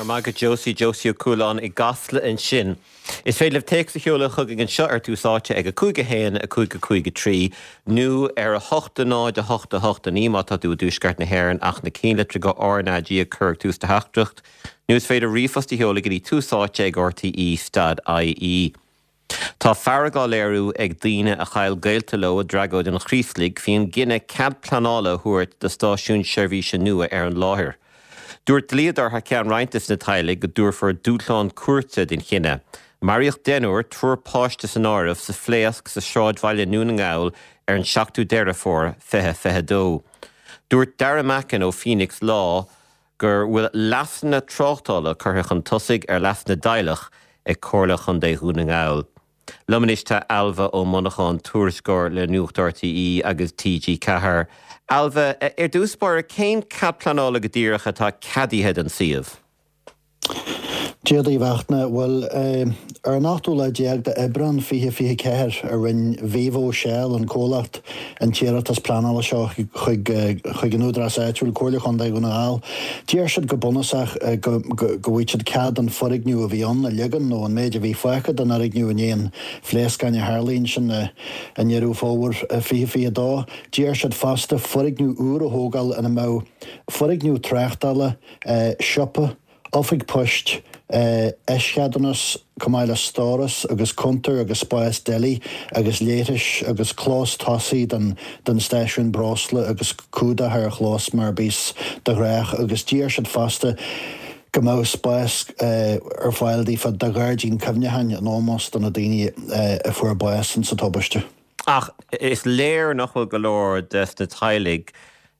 Go raibh maith agat Josie, Josie Ó Cualáin i gCasla ansin. Is féidir libh téacs a sheoladh chugainn anseo ar Tús Áite ag 5 1 5 5 3 nó ar 8 0 8 8 9 má tá tú i dTuaisceart na hÉireann ach na cinnlitreacha RnaG a chur ag tús do theachtaireacht nó is féidir ríomhphost a sheoladh go dtí Tús Áite ag rte stad ie. Tá fearg á léiriú ag daoine a chaill gaolta leo i dtragóid an Chraoslaigh faoin gcinneadh cead pleanála a thabhairt do stáisiún seirbhíse nua ar an láthair. Dúirt dlíodóir thar ceann roinnt de na teaghlaigh go dtabharfar dúshlán cúirte don chinneadh. Maraíodh deichniúr, triúr páiste san áireamh, sa phléasc sa sráidbhaile i nDún na nGall ar an 7ú Deireadh Fómhair 2022. Dúirt Darragh Mackin ó Phoenix Law go bhfuil leasanna tráchtála curtha chun tosaigh ar leas na dteaghlach ag Comhairle Chontae Dhún na nGall. Liom anois tá Ailbhe Ó Monacháin, tuairisceoir le Nuacht RTÉ agus TG4. Ailbhe, ar dtús báire, cén cead pleanála go díreach atá ceadaithe don suíomh? Dia daoibh a Fhachtna. Bhuel, ar an ochtú lá déag d'Aibreán 2024 a rinne Vivo Shell, an comhlacht, an t-iarratas pleanála seo chuig chuig an údarás áitiúil, Comhairle Chontae Dhún na nGall. D'iarr siad go bunúsach go go bhfaigheadh siad cead an foirgneamh a bhí ann a ligean nó an méid a bhí fágtha den fhoirgneamh i ndiaidh an phléascáin a tharlaigh ansin i nDeireadh Fómhair 2022. D'iarr siad fosta foirgneamh úr a thógáil ina mbeadh foirgneamh tráchtála, siopa, oifig poist, eischeadúnas, chomh maith le stóras agus cuntar agus spás deli agus leithris agus clós tosaigh don don stáisiún breosla agus cumhdach ar an chlós mar a bíos de ghnách agus d'iarr siad fosta go mbeadh spás ar fáil daofa do ghairdín cuimhneacháin in ómós do na daoine a fuair bás insa tubaiste. Ach is léir nach bhfuil go leor des na teaghlaigh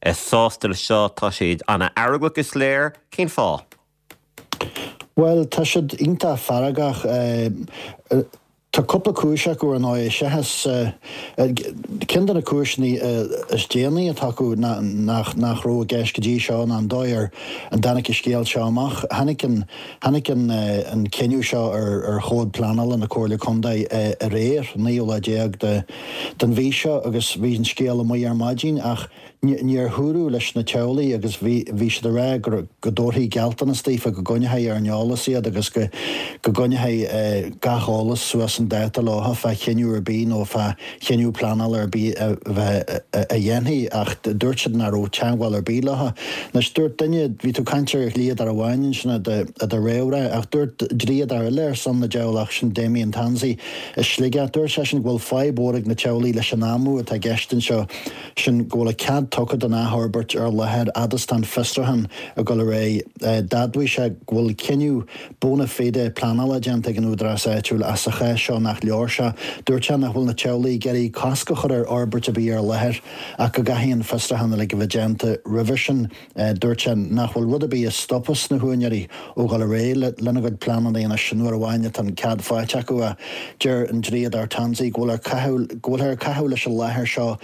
sásta le seo. Tá siad ana-fheargach, is léir. Cén fáth? Bhuel, tá siad iontach feargach. Tá cúpla cúis acu, ar ndóigh. Seachas ceann de na cúiseanna is déanaí atá acu nach nach raibh i gceist go dtí seo ná an dóigh ar a dtáinig an scéal seo amach. Tháinig an Tháinig an cinneadh seo ar chomhad pleanála na Comhairle Contae aréir, an naoú lá déag den mhí seo, agus bhí an scéal amuigh ar maidin ach níor dúradh leis na teaghlaigh agus bhí siad ag rá go dtabharfaí gealltanas daofa go gcoinneofaí ar an eolas iad agus go gcoinneofaí gach eolas suas chun dáta leo fá chinneadh ar bith nó fá chinneadh pleanála ar bith a bheith a dhéanfaí ach dúirt siad nach raibh teagmháil ar bith leo. Anois dúirt duine, bhí tú ag caint ar dhlíodóir amháin ansin i do réamhrá ach dúirt dlíodóir eile ar son na dteaghlach, sin Damien Tansey i Sligeach, dúirt seisean go bhfuil fadhb mhór ag na teaghlaigh leis an am atá i gceist anseo, sin go bhfuil cead tugtha don athfhorbairt ar láthair fhad is tá an fiosrúchán ag dul ar aghaidh. D'admhaigh sé go bhfuil cinneadh bona fide pleanála déanta ag an údarás áitiúil ach sa chás seo nach leor sé. Dúirt sé nach bhfuil na teaghlaigh ag iarraidh cosc a chur ar fhorbairt ar bith ar an láthair ach go gcaithfidh an fiosrúchán uilig a bheith déanta roimhe sin. Dúirt sé nach bhfuil rud ar bith a stopfas na húinéirí ó dhul ar aghaidh lena gcuid pleananna anois an uair amháin atá an cead faighte acu ach deir an dlíodóir Tansey go bhfuil go bhfuilthear ag caitheamh leis an láthair seo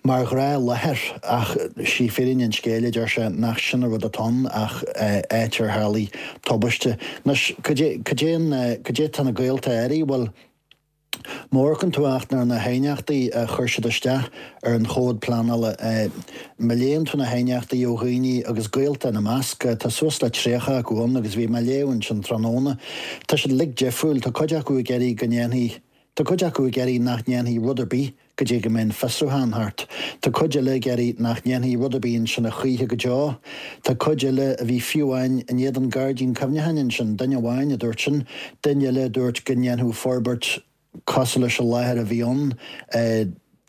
Mar ghnáthláthair, ach sí fírinne an scéil, a deir sé, nach sin an rud atá ann ach áit ar tharlaigh tubaiste. Anois, cad é, cad é an, cad é tá na gaolta ag iarraidh? Bhuel, má amharcann tú Fhachtna ar na haighneachtaí a chuir siad isteach ar an chomhad pleanála, má léann tú na haighneachtaí ó dhaoine agus gaolta ina measc, tá suas le 30 acu ann agus bhí mé ag léamh ansin tráthnóna, tá siad uilig difriúil, tá cuid acu ag iarraidh go ndéanfaí, Tá cuid acu ag iarraidh nach ndéanfaí rud ar bith go dtí go mbeidh an fiosrúchán thart. Tá cuid eile ag iarraidh nach ndéanfaí rud ar bith ansin a choíche go deo. Tá cuid eile a bhí fiú amháin in éadan gairdín cuimhneacháin ansin, duine amháin a dúirt sin, duine eile a dúirt go ndéanfadh forbairt cosúil leis an láthair a bhí ann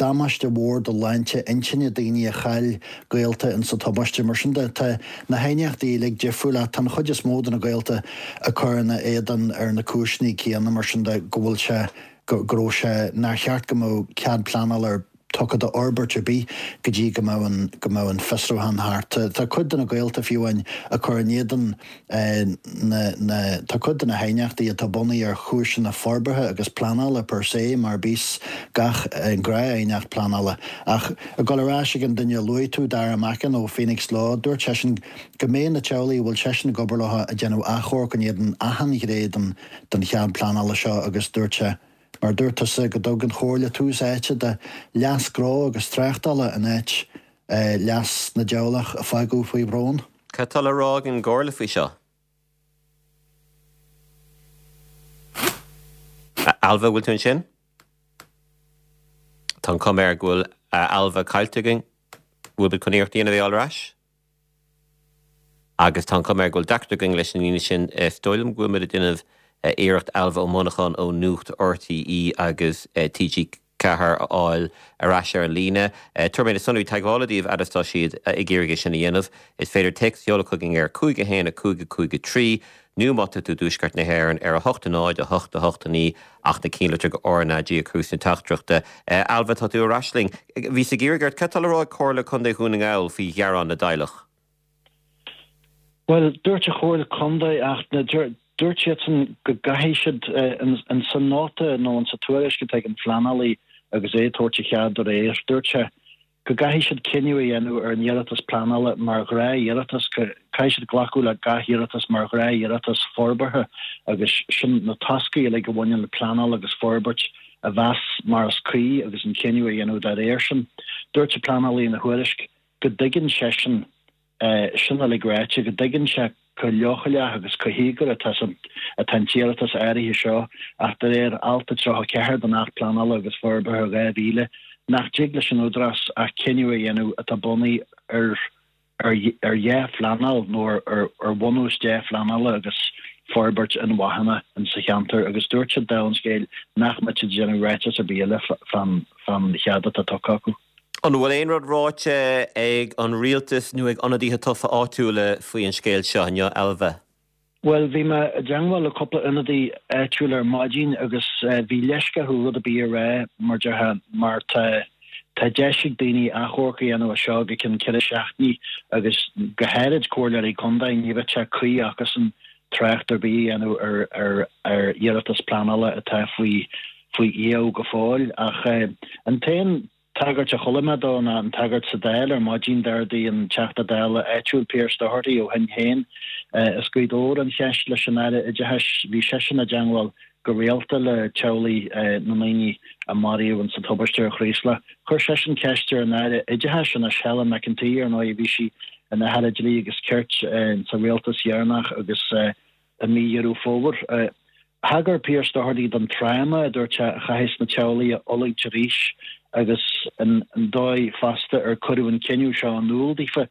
damáiste mhór do shláinte intinne daoine a chaill gaolta insa tubaiste. Mar sin de, tá na haighneachtaí uilig difriúil ach tá an chuid is mó de na gaolta ag cur ina éadan ar na cúiseanna céanna mar sin de, go bhfuil sé, go raibh sé, nár cheart go mbeadh cead pleanála ar tugtha d'fhorbairt ar bith go dtí go mbeadh an, go mbeadh an fiosrúchán thart. Tá cuid de na gaolta fiú amháin ag cur in éadan na, na, tá cuid de na haighneachtaí atá bunaithe ar chúiseanna forbartha agus pleanála per se, mar bíos gach gnáth-aighneacht pleanála. Ach ag dul ar ais ag an duine a luaigh tú, Darragh Mackin ó Phoenix Law, dúirt seisean go mbeidh na teaghlaigh a bhfuil seisean ag obair leo ag déanamh achomharc in éadan achan ghné den, den chead pleanála seo agus dúirt sé, mar a dúirt tusa, go dtug an Chomhairle tús áite do leas gnó agus tráchtála in áit leas na dteaghlach a fágadh faoi bhrón. Cad tá le rá ag an gComhairle faoi seo? Ailbhe, bhfuil tú ansin? Tá an chuma air go bhfuil Ailbhe caillte againn. Bhfuil muid chun iarracht a dhéanamh é a fháil ar ais? Agus tá an chuma air go bhfuil deacracht againn leis an líne sin. Is dóigh liom go bhfuil muid ag déanamh iarracht Ailbhe Ó Monacháin ó Nuacht RTÉ agus TG4 a fháil ar ais ar an líne. Tabharfaidh mé na sonraí teagmhála daoibh fhad is tá siad ag iarraidh é sin a dhéanamh. Is féidir téacs a sheoladh chugainn ar 5 1 5 5 3 nó má tá tú i dTuaisceart na hÉireann ar 8 0 8 8 9 ach na cinnlitreacha RnaG a chur sna teachtaireachta. Ailbhe, tá tú ar ais linn. Bhíos ag iarraidh ort, cad tá le rá ag Comhairle Contae Dhún na nGall faoi ghearán na dteaghlach? Bhuel, dúirt an Chomhairle Contae ach dúirt siadsan go gcaithfidh siad, in sa nóta nó in sa tuairisc atá ag an phleanálaí agus é ag tabhairt a chead aréir, dúirt sé go gcaithfidh siad cinneadh a dhéanamh ar an iarratas pleanála mar ghnáth-iarratas, caithfidh siad glacadh le gach iarratas mar ghnáth-iarratas forbartha agus sin na toscaí uilig a bhaineann le pleanáil agus forbairt a mheas mar is cuí agus an cinneadh a dhéanamh dá réir sin. Dúirt an pleanálaí ina thuairisc go dtuigeann seisean sin uilig ráite, go dtuigeann sé chomh leochaileach agus chomh híogair atá atá an t-iarratas áirithe seo ach de réir Alt 34 den Acht Pleanála agus Forbartha 2000 nach dtig leis an Údarás ach cinneadh a dhéanamh atá bunaithe ar ar ar dhea-phleanáil nó ar ar ar bhunús dea-phleanála agus forbairt inmharthana in sa cheantar agus dúirt siad dála an scéil nach mbeadh siad ag déanamh ráiteas ar bith eile fán fán chead atá tugtha acu. An bhfuil aon rud ráite ag an rialtas nó ag ionadaithe tofa áitiúla faoi an scéal seo inniu, Ailbhe? Bhuel, bhí mé i dteangmháil le cúpla ionadaí áitiúil ar maidin agus bhí leisce orthu rud ar bith a rá, mar déarfá, mar tá tá deis ag daoine achomharc a dhéanamh as seo go ceann 4 seachtainí agus go háirid comhairleoirí contae, ní bheadh sé cuí acusan trácht ar bith a dhéanamh ar ar ar iarratas pleanála atá faoi faoi iamh go fóill, ach an t-aon tagairt a chuala mé dó ná an tagairt sa Dáil ar maidin. D'ardaigh an Teachta Dála áitiúil Pearse Doherty ó Shinn Féin as Gaoth Dobhair an cheist leis an Aire Oideachais. Bhí seisean i dteangmháil go rialta le teaghlaigh na ndaoine a maraíodh insa tubaiste ar Chraoslach. Chuir seisean ceist ar an Aire Oideachais anois, Helen McEntee, ar ndóigh, bhí sí ina hAire Dlí agus Cirt sa rialtas dheireanach agus i mí Dheireadh Fómhair. Thagair Pearse Doherty don tráma, a dúirt sé, a chaithfeas na teaghlaigh a fhulaingt arís agus an dóigh fosta ar cuireadh an cinneadh seo in iúl daofa.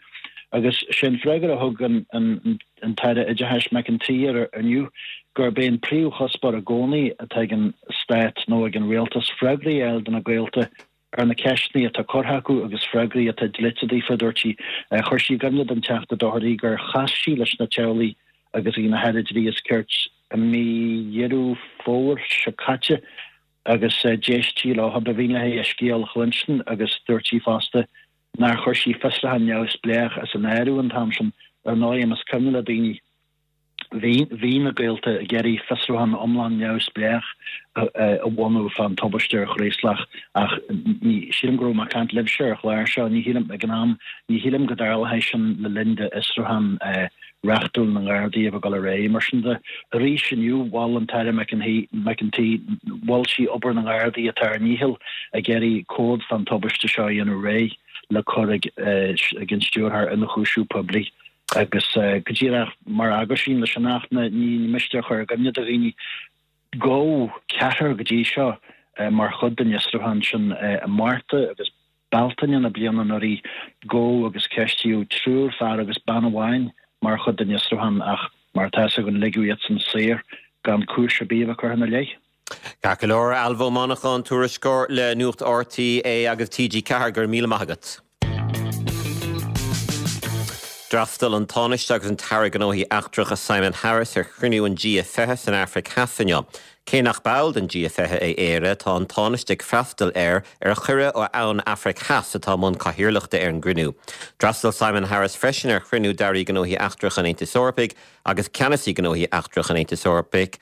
Agus sé an freagra a thug an tAire Oideachais McEntee air inniu gurb é an príomhchuspóir i gcónaí atá ag an Stát nó ag an Rialtas freagraí a fháil do na gaolta ar na ceisteanna atá curtha acu agus freagraí atá dlite daofa, a dúirt sí. Chuir sí i gcuimhne don Teachta Doherty gur chas sí leis na teaghlaigh agus í ina hAire Dlí is Cirt i mí Dheireadh Fómhair seo caite agus d'éist sí leo, ba mhian léi a scéal a chluinstin agus dúirt sí fosta nár chuir sí fiosrúchán neamhspleách as an áireamh an t-am sin. Ar ndóigh, más cuimhin le daoine, Bhí, bhí na gaolta ag iarraidh fiosrúchán iomlán neamhspleách a bhunú fán tubaiste ar Chraoslach ach ní, sílim go raibh mé ag caint libhse ar an chlár seo, ní shílim, ag an am, ní shílim go dtarlódh sé sin le linn d'fhiosrúchán reachtúil na nGardaí a bheith ag dul ar aghaidh. Mar sin de, arís inniu, mhol an tAire McEntee, mhol sí obair na nGardaí atá ar a ndícheall ag iarraidh comhad fán tubaiste seo a dhéanamh réidh le cur ag an Stiúrthóir Ionchúiseamh Poiblí. Agus go díreach mar aguisín leis an Acht, ní miste a chur i gcuimhne do dhaoine, gabhadh ceathrar go dtí seo mar chuid den fhiosrúchán sin i Márta agus Bealtaine na bliana anuraidh, gabhadh agus ceistíodh triúr fear agus bean amháin mar chuid den fhiosrúchán ach mar atá fhios againn ligeadh iadsan saor gan cúis ar bith a bheith curtha ina leith. Ceart go leor, Ailbhe Ó Monacháin, tuairisceoir le Nuacht RTÉ agus TG4, go raibh míle maith agat. D'fhreastail an Tánaiste agus an tAire Gnóthaí Eachtracha Simon Harris ar chruinniú an G20 san Afraic Theas inniu. Cé nach ball den G20 é Éire, tá an Tánaiste ag freastal air ar chuireadh ó an Afraic Theas atá i mbun cathaoirleachta ar an gcruinniú. D'fhreastail Simon Harris freisin ar chruinniú d'Airí Gnóthaí Eachtracha an Aontais Eorpaigh agus Ceannasaí Gnóthaí Eachtracha an Aontais Eorpaigh,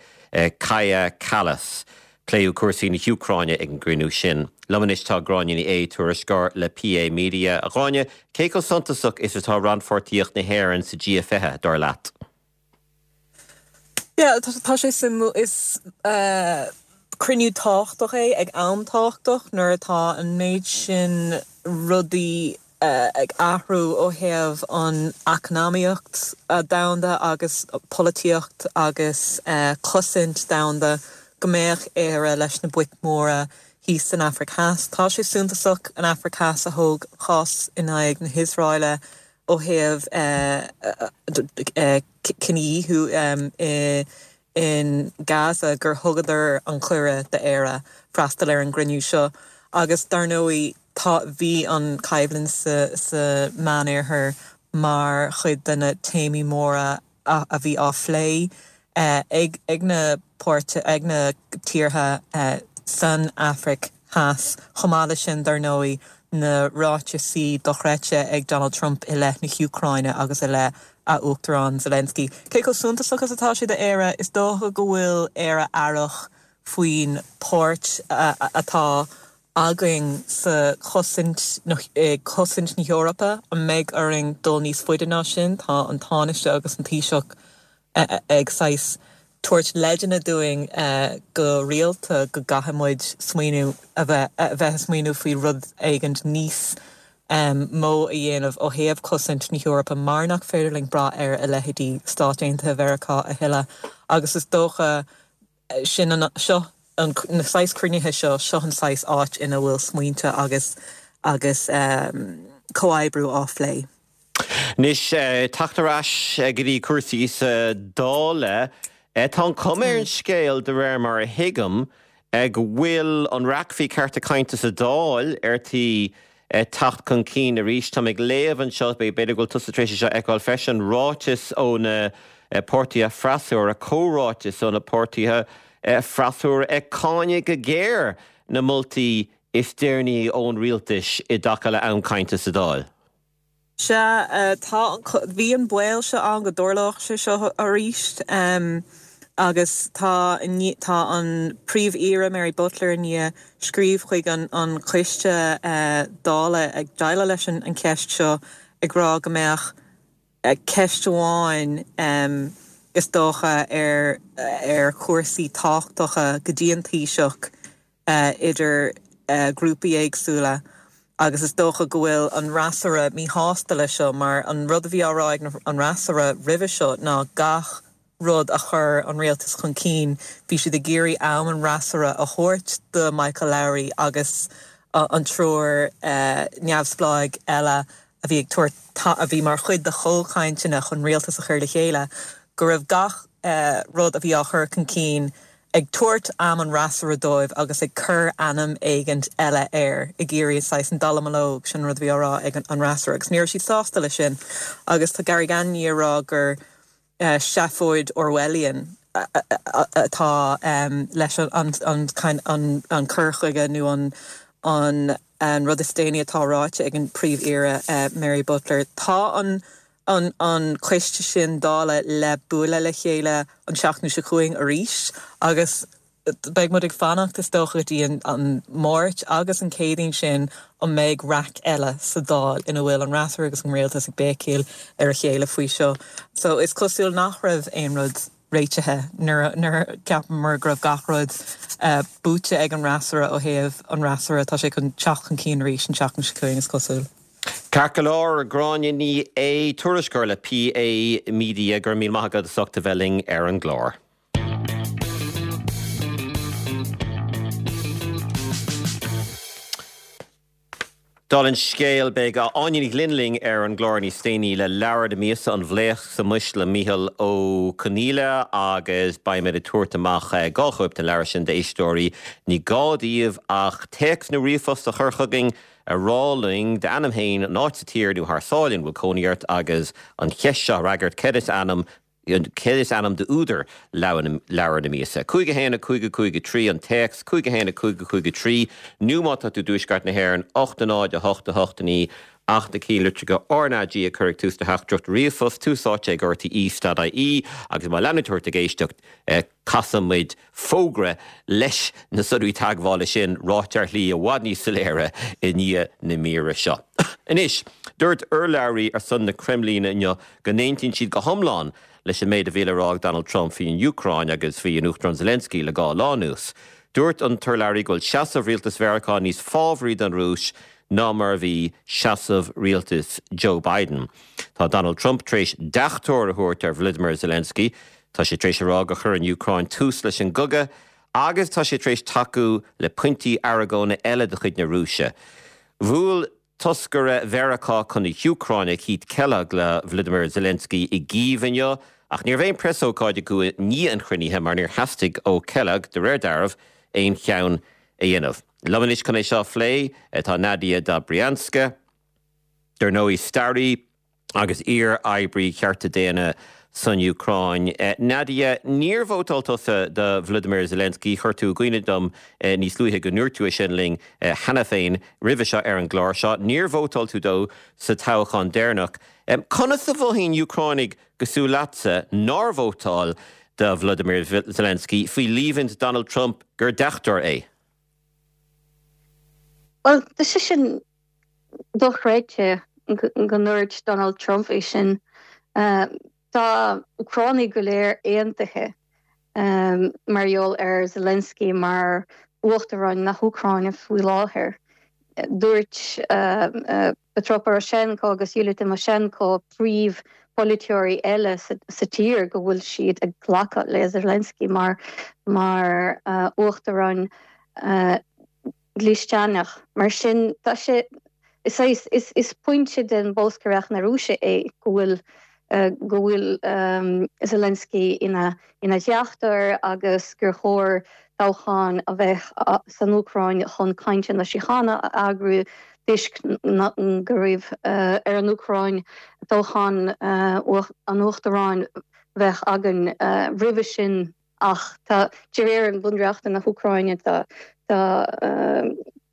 Kaja Kallas. Pléadh cúrsaí na hÚcráine ag an gcruinniú sin. Liom anois tá Gráinne Ní Aodha, tuairisceoir le PA Media. A Ghráinne, cé chomh suntasach is atá rannpháirtíocht na hÉireann sa G20, dar leat? Yeah, tá sé suimiúil. Is cruinniú tábhachtach é ag am tábhachtach nuair atá an méid sin rudaí ag athrú ó thaobh an eacnamaíocht domhanda agus polaitíocht agus cosaint domhanda. go mbeadh Éire leis na boic mhóra thíos san Afraic Theas. Tá sé suntasach an Afraic Theas a thóg cás in aghaidh na hIosraeile ó thaobh cinedhíothú in Gaza gur thugadar an cuireadh d'Éire freastal ar an gcruinniú seo agus dar ndóigh tá bhí an choimhlint sa sa Meánoirthear mar chuid de na téamaí móra a bhí á phlé ag ag na páirtithe ag na tíortha san Afraic Theas. Chomh maith leis sin, dar ndóigh, na ráitisí dochreidte ag Donald Trump i leith na hÚcráine agus i leith a Uachtarán Zelensky. Cé chomh suntasach is atá sé d'Éire? Is dócha go bhfuil Éire aireach faoin páirt atá againn sa chosaint, i gcosaint na hEorpa. An mbeidh orainn dul níos faide ná sin? Tá an Tánaiste agus an Taoiseach ag saghas tabhairt leideanna dúinn go rialta go gcaithfidh muid smaoineamh, a bheith ag smaoineamh faoi rud éigint níos mó a dhéanamh ó thaobh cosaint na hEorpa mar nach féidir linn brath ar a leithéidí Stáit Aontaithe Mheiriceá a thuilleadh agus is dócha sin an, seo an, na saghas cruinnithe seo, seo an saghas áit ina bhfuil smaointe agus, agus comhoibriú á phlé. Anois, teacht ar ais go dtí cúrsaí sa Dáil. Tá an chuma ar an scéal, de réir mar a thuigim, go bhfuil an raic faoi cearta cainte sa Dáil ar tí teacht chun cinn arís. Táim ag léamh anseo, b'fhéidir go bhfuil tusa tar éis é seo a fheiceáil freisin, ráiteas ó na páirtithe freasúra, comhráiteas ó na páirtithe freasúra ag cáineadh go géar na moltaí is deireanaí ón rialtas i dtaca le am cainte sa Dáil. Sea, tá an, bhí an baol seo ann go dtarlódh sé seo arís agus tá, tá an Príomh-Aoire Mary Butler i ndiaidh scríobh chuig an an coiste Dála ag déileáil leis an cheist seo ag rá go mbeadh ceist amháin is dócha ar ar chúrsaí tábhachtacha go dtí an Taoiseach idir grúpaí éagsúla agus is dócha go bhfuil an fhreasúra míshásta leis seo mar an rud a bhí á rá ag an fhreasúra roimhe seo ná gach rud a chuir an rialtas chun cinn bhí siad ag iarraidh am an fhreasúra a thabhairt do Michael Lowry agus an triúr neamhspleáigh eile a bhí ag tabhairt a bhí mar chuid de chomhchainteanna chun rialtas a chur le chéile go raibh gach rud a bhí á chur chun cinn ag tabhairt am an fhreasúra dóibh agus ag cur ainm éigint eile air, ag iarraidh saghas an dallamullóg, sin an rud a bhí á rá ag an fhreasúra agus ní raibh siad sásta leis sin agus tá Gary Gannon i ndiaidh a rá gur seafóid Orwellian atá leis an cur chuige nó an rud is déanaí atá ráite ag an Príomh-Aoire Mary Butler. Tá an an coiste sin Dála le bualadh le chéile an tseachtain seo chugainn arís agus beidh muid ag fanacht is dócha go dtí an Máirt agus an Céadaoin sin an mbeidh raic eile sa Dáil ina bhfuil an fhreasúra agus an rialtas ag béicíl ar a chéile faoi seo. So is cosúil nach raibh aon rud réitithe nuair a cheapamar go raibh gach rud buaite ag an fhreasúra ó thaobh an fhreasúra tá sé chun teacht chun cinn arís an tseachtain seo chugainn is cosúil. Ceart go leor, Gráinne Ní Aodha, tuairisceoir le PA Media, go raibh míle maith agat as ucht a bheith linn ar an gclár. Dála an scéil, beidh Áine Ní Ghlinn linn ar an gclár níos déanaí le leabhar na míosa, An Bhlaosc sa Mhois le Mícheál Ó Conghaile agus beimid ag tabhairt amach 2 chóip den leabhar sin d'éisteoirí. Ní gá daoibh ach téacs nó ríomhphost a chur chugainn ag rá linn d'ainm féin, an áit sa tír nó thar sáile ina bhfuil cónaí ort agus an cheist seo a fhreagairt, céard is ainm céard is ainm d'údar leabhar na míosa? 5 1 5 5 3 an téacs, 5 1 5 5 3 nó má tá tú i dtuaisceart na hÉireann, 8 0 8 8 9 ach na cinnlitreacha RnaG a chur ag tús do theachtaireacht ríomhphost, tús áite ag rte.ie agus má leanann tú ort ag éisteacht, Casfaidh muid fógra leis na sonraí teagmhála sin ráite ar shlí i bhfad níos soiléire i ndiaidh na míre seo. Anois, dúirt urlabhraí ar son na Creimlíne inniu go n-aontaíonn siad go hiomlán leis an méid a bhí le rá ag Donald Trump faoi an Úcráin agus faoi an Uachtarán Zelensky le dhá lá anuas. Dúirt an t-urlabhraí go bhfuil seasamh rialtas Mheiriceá níos fábhraí don Rúis ná mar a bhí seasamh rialtas Joe Biden. Tá Donald Trump tar éis deachtóir a thabhairt ar Volodymyr Zelensky. Tá sé tar éis a rá gur chuir an Úcráin tús leis an gcogadh. Agus tá sé tar éis tacú le pointí argóna eile de chuid na Rúise. Bhuail toscaire Mheiriceá chun na hÚcráine, Keith Kellogg, le Volodymyr Zelensky i gCív inniu, ach ní raibh aon preasócáid acu i ndiaidh an chruinnithe mar níor theastaigh ó Kellogg, de réir dealraimh, aon cheann a dhéanamh. Liom anois chun é seo a phlé tá Nadia Dobrianska, dar ndóigh, staraí agus iar-oibrí cearta daonna san Úcráin. Nadia, níor vótáil tusa do Volodymyr Zelensky, chuir tú i gcuimhne dom níos luaithe go ndúirt tú é sin linn cheana féin roimhe seo ar an gclár seo. Níor vótáil tú dó sa toghchán deireanach. Conas a mhothaíonn Úcránaigh cosúil leatsa nár vótáil do Volodymyr Zelensky faoi líomhaint Donald Trump gur deachtóir é? Bhuel, tá sé sin dochreidte go ndúirt Donald Trump é sin. Tá Úcránaigh go léir aontaithe mar gheall ar Zelensky mar Uachtarán na hÚcráine faoi láthair. Dúirt Petro Poroshenko agus Yulia Tymoshenko, príomh-pholaiteoirí eile sa tír, go bhfuil siad ag glacadh le Zelensky mar Uachtarán dlisteanach. Mar sin, tá sé, is, is, is pointe den bholscaireacht na Rúise é go bhfuil, go bhfuil Zelensky ina, ina dheachtóir agus gur chóir toghchán a bheith san Úcráin chun cainteanna síochána a eagrú toisc go raibh ar an Úcráin toghchán an uachtaráin bheith againn roimhe sin. Ach tá, de réir an Bhunreachta na hÚcráine, tá tá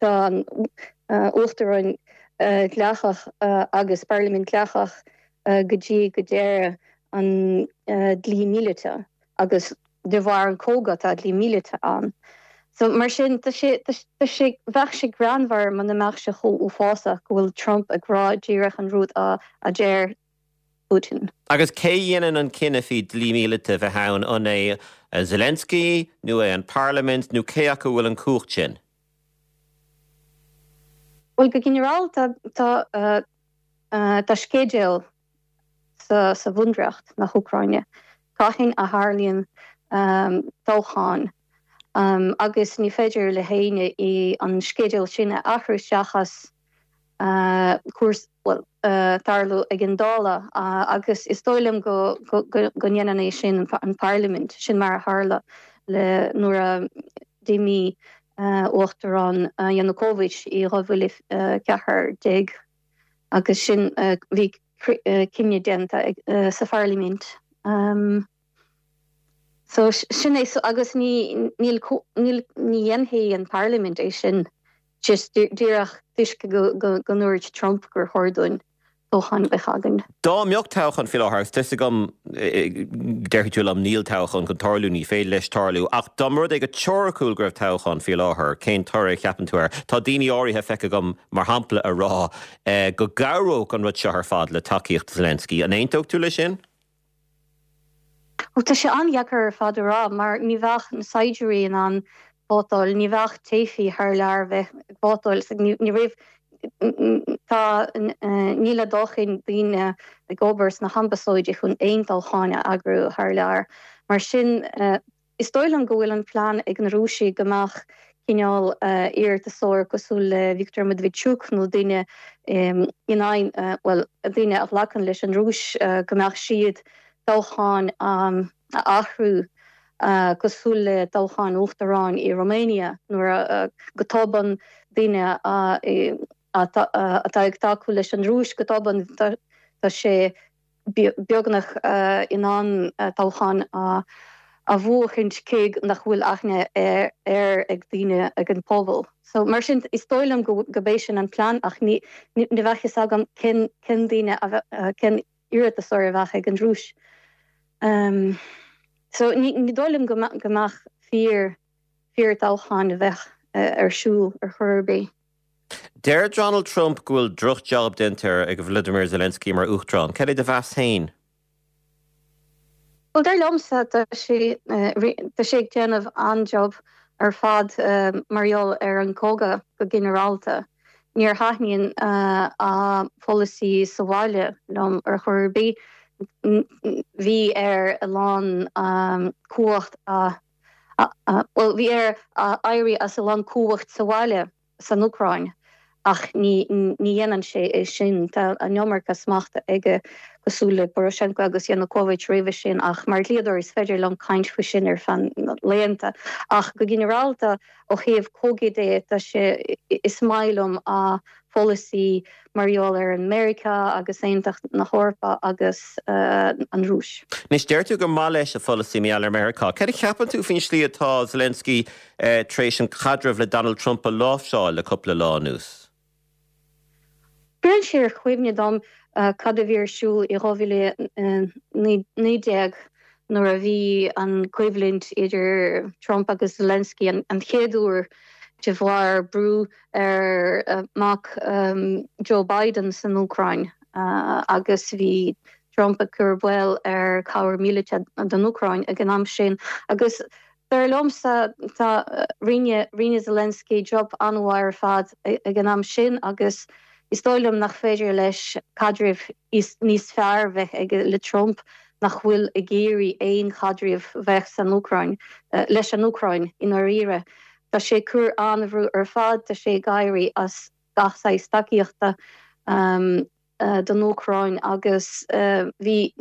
an Uachtarán dleathach agus Parlaimint dleathach go dtí go deireadh an dlí míleata agus de bharr an cogadh tá dlí míleata ann. So mar sin tá sé tá sé bheadh sé greannmhar muna mbeadh sé chomh uafásach go bhfuil Trump ag rá díreach an rud a a deir Putin. Agus cé a dhéanann an cinneadh faoi dlí míleata a bheith ann, an é Zelensky nó é an Parlaimint nó cé acu a bhfuil an cumhacht sin? Bhuel, go ginearálta tá tá sceideal sa sa Bhunreacht na hÚcráine cathain a tharlaíonn toghchán agus ní féidir le héinne an sceideal sin a athrú seachas cúrsaí, bhuel, tarlú ag an Dála agus is dóigh liom go ndéanann é sin an Pharlaimint, sin mar a tharla le nuair a d'imigh Uachtarán Yanukovych i 2014 agus sin bhí cinneadh déanta sa Pharlaimint. So sin é agus ní níl níl ní dhéanfaidh an Pharlaimint é sin just díreach toisc go go ndúirt Trump gur chóir dúinn toghchán a bheith againn. Dá mbeadh toghchán faoi láthair, agus tá 'fhios agam, déarfaidh tú liom, níl toghchán chun tarlú, ní féidir leis tarlú, ach dá mba rud é go teoiriciúil go raibh toghchán faoi láthair, cén toradh a cheapann tú air? Tá daoine áirithe feicthe agam, mar shampla, a rá go gcabhródh an rud seo ar fad le tacaíocht Zelensky. An aontódh tú leis sin? Ó, tá sé an-dheacair ar fad a rá mar ní bheadh na saighdiúirí in ann vótáil, ní bheadh teifigh thar lear bheith ag vótáil, ní raibh, tá, níl a dóthain daoine ag obair sna hambasáidí chun aon toghcháin a eagrú thar lear. Mar sin, Is dóigh liom go bhfuil an plean ag na Rúisigh go mbeadh cineál iarratasóir cosúil le Viktor Medvedchuk nó duine in aghaidh, bhuel, duine a ghlacann leis an Rúis, go mbeadh siad toghchán a athrú cosúil le toghchán uachtaráin i Romania nuair a go tobann duine atá ag tacú leis an Rúis go tobann tá sé beagnach in ann toghchán a bhuachaint cé nach bhfuil aithne air ag daoine, ag an pobal. So mar sin is dóigh liom go b'é sin an plean ach ní bheadh fhios agam cén cén duine cén iarratasóir a bheadh ag an Rúis. So ní dóigh liom go mbeadh fíor fíor toghchán a bheadh ar siúl ar chor ar bith. Deir Donald Trump go bhfuil droch-jab déanta ag Volodymyr Zelensky mar Uachtarán. Cad é do mheas féin? Bhuel, dar liomsa, tá sé tá sé ag déanamh an-job ar fad mar gheall ar an cogadh go ginearálta. Níor thaitníonn a pholasaí sa bhaile liom ar chor ar bith. Bhí air a lán cumhacht a. Bhuel, bhí air éirí as a lán cumhacht sa bhaile san Úcráin ach ní dhéanann sé é sin. Tá an iomarca smachta aige cosúil le Poroshenko agus Yanukovych roimhe sin ach mar dhlíodóir is féidir liom caint faoi sin ar feadh laethanta. Ach go ginearálta ó thaobh cogaidh de tá sé, is maith liom a pholasaí mar gheall ar an Meiriceá agus Aontas na hEorpa agus an Rúis. Anois, deir tú gur maith leis a pholasaí mar gheall ar Meiriceá. Cad a cheapann tú faoin slí atá Zelensky tar éis an caidreamh le Donald Trump a láimhseáil le cúpla lá anuas? Cuireann sé ar chuimhne dom cad a bhí ar siúl i 2019 nuair a bhí an coimhlint idir Trump agus Zelensky an chéad uair de bharr brú ar mac Joe Biden san Úcráin agus bhí Trump ag cur baol ar cabhair míleata don Úcráin ag an am sin agus dar liomsa tá rinne rinne Zelensky job an-mhaith ar fad ag an am sin agus is dóigh liom nach féidir leis caidreamh níos fearr bheith aige le Trump nach bhfuil ag iarraidh aon chaidreamh bheith san Úcráin leis an Úcráin i ndáiríre. Tá sé ag cur an-bhrú ar fad, tá sé ag éirí as gach saghas tacaíochta don Úcráin agus bhí,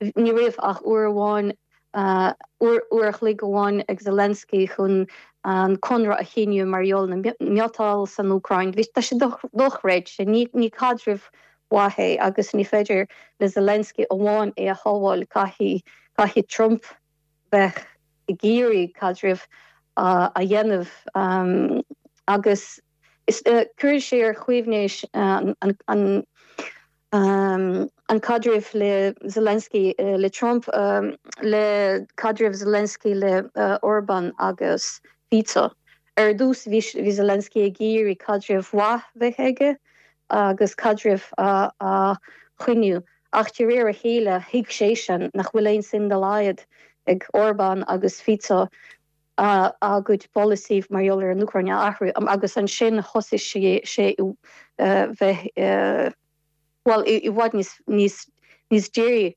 ní raibh ach uair amháin, uair a chloig amháin ag Zelensky chun an conradh a shíniú mar gheall na miotal san Úcráin. Bhí, tá sé dochreidte, ní caidreamh mhaith é agus ní féidir le Zelensky amháin é a shábháil, caithfidh, caithfidh Trump bheith ag iarraidh caidreamh a dhéanamh agus cuireann sé ar chuimhne an caidreamh le Zelensky le Trump le caidreamh Zelensky le Orban agus Fico. Ar dtús bhí Zelensky ag iarraidh caidreamh mhaith bheith aige agus caidreamh a choinniú. Ach de réir a chéile, thuig seisean nach bhfuil aon suim dá laghad ag Orbán agus Fico a gcuid polasaí mar gheall ar an Úcráin a athrú agus ansin thosaigh sé bheith, bhuel, i bhfad níos dírí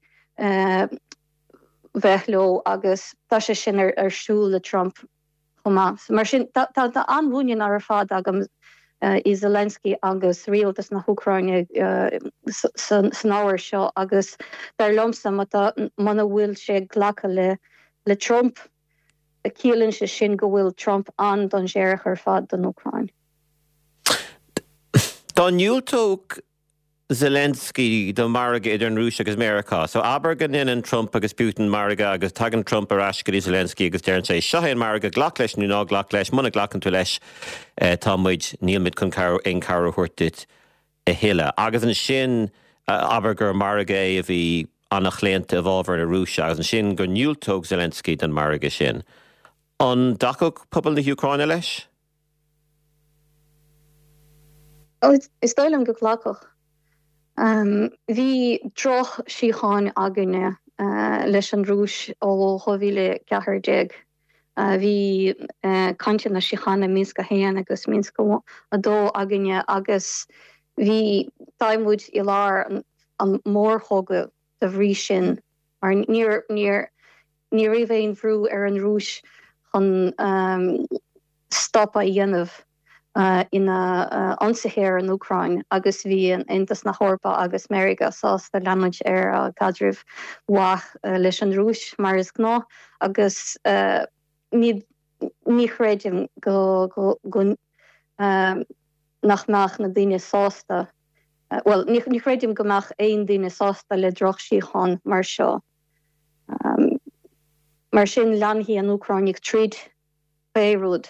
bheith leo agus tá sé sin ar siúl le Trump. chomh maith. Mar sin, tá an-mhuinín ar fad agam i Zelensky agus rialtas na hÚcráine san ábhar seo agus dar liomsa muna bhfuil sé ag glacadh le Trump, ciallaíonn sé sin go bhfuil Trump an-dainséarach ar fad don Úcráin. Dá ndiúltódh Zelensky do mhargadh idir an Rúis agus Meiriceá. So abair go ndéanann Trump agus Putin margadh agus tagann Trump ar ais go dtí Zelensky agus deireann sé, seo é an margadh, glac leis nó ná glac leis, muna nglacann tú leis tá muid, níl muid chun aon cabhair a thabhairt duit a thuilleadh. Agus ansin abair gur margadh é a bhí an-chlaonta i bhfabhar na Rúise agus ansin go ndiúltódh Zelensky don margadh sin. An dtacódh pobal na hÚcráine leis? Is dóigh liom go nglacfadh. Bhí droch-síocháin againne leis an Rúis ó 2014. Bhí cainteanna síochána Minsk 1 agus Minsk 2 againne agus bhí, tá muid i lár an mórchogadh de bhrí sin mar níor, níor, ní raibh aon bhrú ar an Rúis chun stop a dhéanamh ina ionsaithe ar an Úcráin agus bhí Aontas na hEorpa agus Meiriceá sásta leanúint ar a gcaidreamh mhaith leis an Rúis mar is gnáth agus ní ní chreidim go go nach mbeadh na daoine sásta bhuel ní chreidim go mbeadh aon duine sásta le drochsíocháin mar seo. Mar sin leanfaidh an Úcráin ag troid pé rud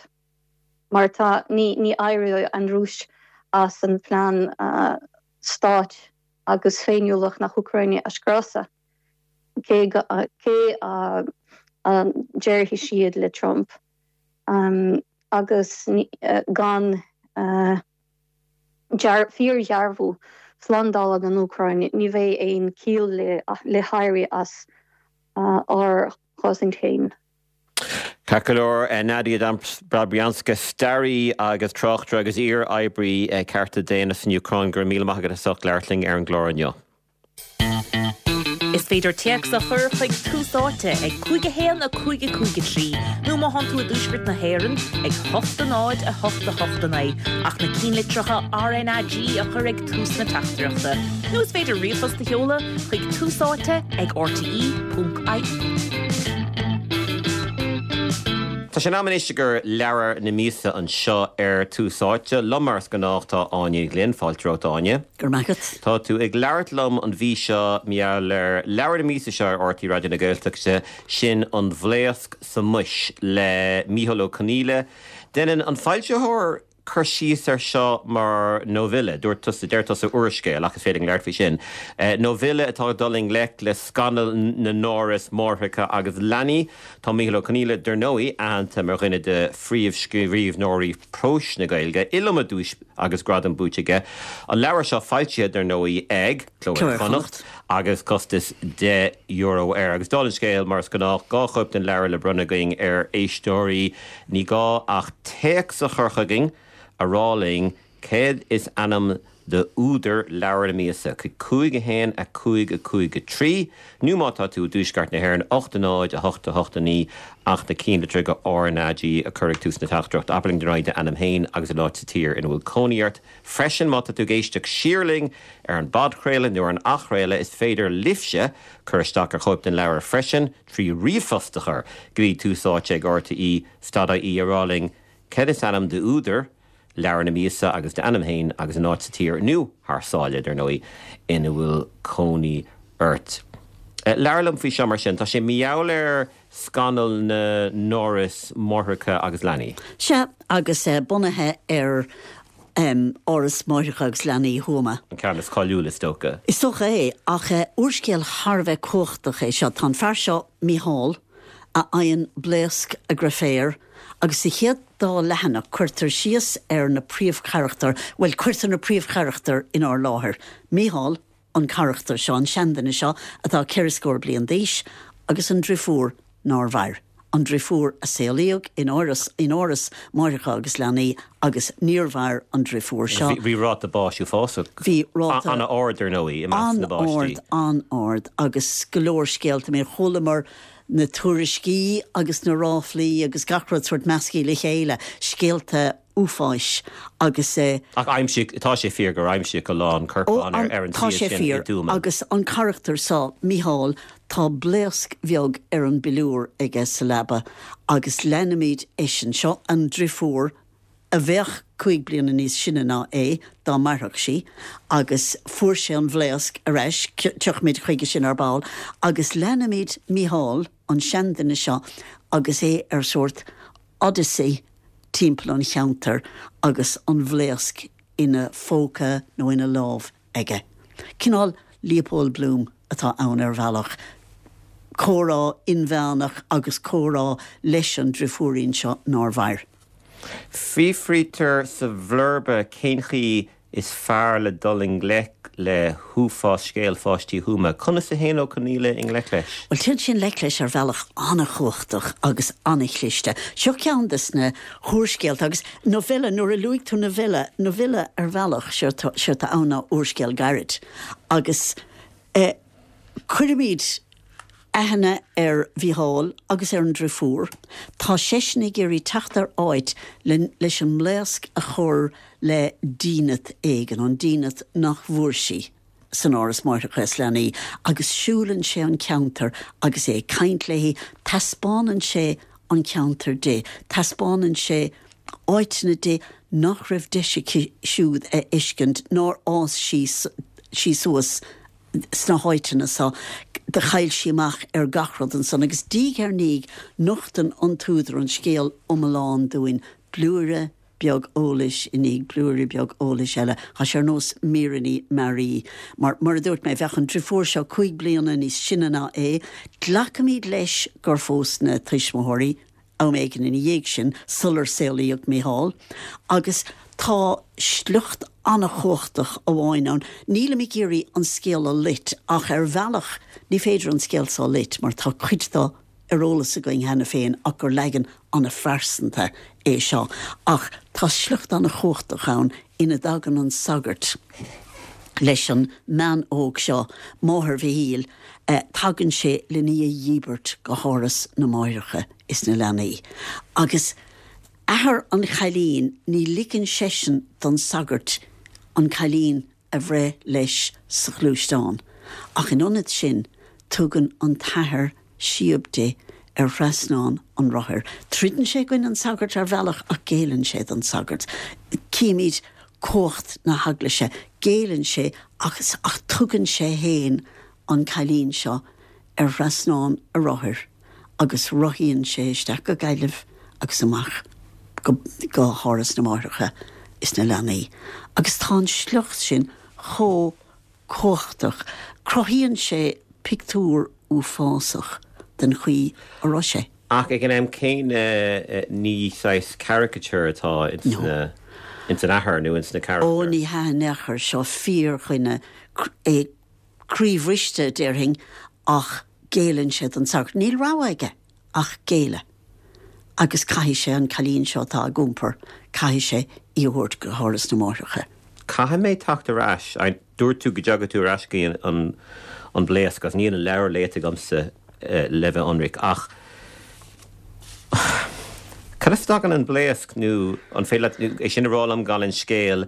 mar tá, ní ní éireoidh an Rúis as an phlean stáit agus féiniúlacht na hÚcráine a scriosadh, cé cé a déarfaidh siad le Trump agus gan fíordhearbhú slándála don Úcráin ní bheidh aon chiall le héirí as ár gcosaint féin. Ceart go leor, Nadia Dobryanska, staraí agus tráchtaire agus iar-oibrí cearta daonna san Úcráin, go raibh míle maith agat as ucht labhairt linn ar an gclár inniu. Is féidir téacs a chur chuig Tús Áite ag 5 1 5 5 3 nó má thánn tú i dtuaisceart na hÉireann ag 8 0 8 8 9 ach na cinnlitreacha RnaG a chur ag tús na teachtaireachta. Nó is féidir ríomhphost a sheoladh chuig Tús Áite ag rte.ie. Tá sé in am anois i gcomhair leabhar na míosa anseo ar Tús Áite. Liom mar is gnách tá Áine Ní Ghlinn. Fáilte romhat Áine. Go raibh maith agat. Tá tú ag labhairt liom an mhí seo mar gheall ar leabhar na míosa seo ar RTÉ Raidió na Gaeltachta, sin An Bhlaosc sa mBois le Micheál Ó Conghaile. Déanann an foilsitheoir cur síos air seo mar novella, dúirt tusa, deir tusa úrscéal, ach is féidir linn labhairt faoi sin, novella atá ag dul i ngleic le scannal na n-áras máithreacha agus leanaí. Tá Micheál Ó Conghaile, dar ndóigh, aitheanta mar dhuine de phríomhscríbhneoirí próis na Gaeilge, iliomad duais agus gradam buaite aige. An leabhar seo foilsithe, dar ndóigh, ag Cló Iar-Chonnacht agus costas €10 air. Agus dála an scéil, mar is gnách, 2 chóip den leabhar le bronnadh againn ar éisteoirí. Ní gá ach téacs a chur chugainn a rá linn céard is ainm d'údar leabhar na míosa, chuig 5 1 5 5 3, nó má tá tú i dtuaisceart na hÉireann, 8 0 8 8 9, ach na cinnlitreacha RnaG a chur ag tús na teachtaireachta. Abair linn dar ndóigh d'ainm féin agus an áit sa tír ina bhfuil cónaí ort. Freisin, má tá tú ag éisteacht siar linn ar an bpodchraoladh nó ar an athchraoladh, is féidir libhse cur isteach ar chóip den leabhar freisin trí ríomhphost a chur go dtí Tús Áite ag RTE stad IE a rá linn céard is ainm d'údar leabhar na míosa agus d'ainm féin agus an áit sa tír, nó thar sáile, dar ndóigh, ina bhfuil cónaí ort. Labhair liom faoi seo mar sin. Tá sé mar gheall ar scannal na n-áras máithreacha agus leanaí. Sea, agus bunaithe ar Áras Máithreacha agus Leanaí Thuama. An ceann is cáiliúla, is dócha. Is dócha é, ach úrscéal thar a bheith cumhachtach é seo. Tá an fear seo, Mícheál, a fhaigheann blaosc a dhrioféar agus sa chéad dá leathanach cuirtear síos ar na príomhcharachtair, bhuel, cuirtear na príomhcharachtair inár láthair, Mícheál, an carachtar seo, an seanduine seo atá ceithre scór bliain d'aois, agus an driofúr nár mhair, an driofúr a saolaíodh in áras, in áras máithreacha agus leanaí agus níor mhair an driofúr seo. Bhí ráta báis uafásach, Bhí ráta. an-ard, ar ndóigh, i measc na bpáistí. An-ard, an-ard agus go leor scéalta. I mean, chualamar na tuairiscí agus na ráflaí agus gach rud sórt measctha le chéile, scéalta uafáis agus. Ach aimsíodh, tá sé fíor gur aimsíodh a lán corpán ar an Tá suíomh sé sin i fíor dTuama. agus an carachtar seo, Mícheál, tá blaosc bheag ar an bpiliúr aige sa leaba agus leanaimid eisean. Seo an driofúr a bheadh 5 bliana níos sine ná é dá mairfeadh sí agus fuair sé an bhlaosc ar ais, tiocfaimid chuige sin ar ball, agus leanaimid Mícheál, an seanduine seo, agus é ar sórt odyssey timpeall an cheantair agus an bhlaosc ina phóca nó ina lámh aige. Cineál Leopold Bloom atá ann ar bhealach, comhrá inmheánach agus comhrá leis an driofúirín seo nár mhair. Fiafraítear sa bhlurba cén chaoi is fearr le dul i ngleic le huafás scéal pháistí Thuama. Conas a théann Ó Conghaile i ngleic leis? Bhuel, téann sé i ngleic leis ar bhealach an-chumhachtach agus an-chliste. Seo ceann de na húrscéalta agus novella, nuair a luaigh tú novella, novella ar bhealach, séard atá ann ná úrscéal gairid. Agus eh, cuirimid aithne ar Mhícheál agus ar an driofúr. Tá seisean ag iarraidh teacht ar áit le leis an mblaosc a chur le dínit éigin, an dínit nach bhfuair sí san Áras Máithreacha is Leanaí, agus siúlann sé an ceantar agus é ag caint léi, taispeánann sé an ceantar di, taispeánann sé áiteanna di nach raibh deis aici siúd a fheiscint, nár fhás sí sí suas sna háiteanna so, do chaill sí amach ar gach rud ansan agus diaidh ar ndiaidh nochtann an t-údar an scéal iomlán dúinn, blúire beag eolais i ndiaidh blúire beag eolais eile. Tá sé ar nós míreanna mearaí. Mar, mar a dúirt mé, bheadh an driofúr seo 5 bliana níos sine ná é. Glacaimid leis gur phós na tuismitheoirí am éigin ina dhiaidh sin, sular saolaíodh Mícheál, agus tá sliocht an-chumhachtach amháin ann. Nílim ag iarraidh an scéal a loit, ach ar bhealach ní féidir an scéal seo a loit mar tá cuid de ar eolas againn cheana féin ach gur leagan an-phearsanta é seo. Ach tá sliocht an-chumhachtach ann ina dtagann an sagart. Leis an mbean óg seo, máthair Mhichíl, tagann sé len í a dhíbirt go háras na máithreacha is na leanaí. Agus athair an chailín, ní ligeann seisean don sagart an cailín a bhreith leis sa ghluaisteán, ach in ionad sin, tugann an t-athair síob di ar thrasnán an rothair. Troideann sé i gcoinne an tsagairt ar bhealach ach géilleann sé don sagart. Címid cumhacht na heaglaise. Géilleann sé ach ach tugann sé fhéin an cailín seo ar thrasnán a rothair agus rothaíonn sé isteach go Gaillimh agus amach go go hÁras na Máithreacha is na Leanaí. Agus tá an sliocht sin chomh cumhachtach. Cruthaíonn sé pictiúr uafásach den chaoi a raibh sé. Ach ag an am céanna ní saghas caricature atá ins na, ins an athair nó ins na carachtair. Ó ní hea in aon chor, seo fíordhuine, é croíbhriste déarfainn ach géilleann sé don sagart. Níl rogha aige. ach géilleadh. Agus caithfidh sé an cailín seo atá ag iompar, caithfidh sé í a thabhairt go hÁras na Máithreacha. Caithfidh mé teacht ar ais. Dúirt tú go dtiocfaidh tú ar ais go dtí an bhlaosc agus níl an leabhar léite agamsa le bheith ionraic ach cad as a dtagann an bhlaosc nó an féidir leat é sin a rá liom gan an scéal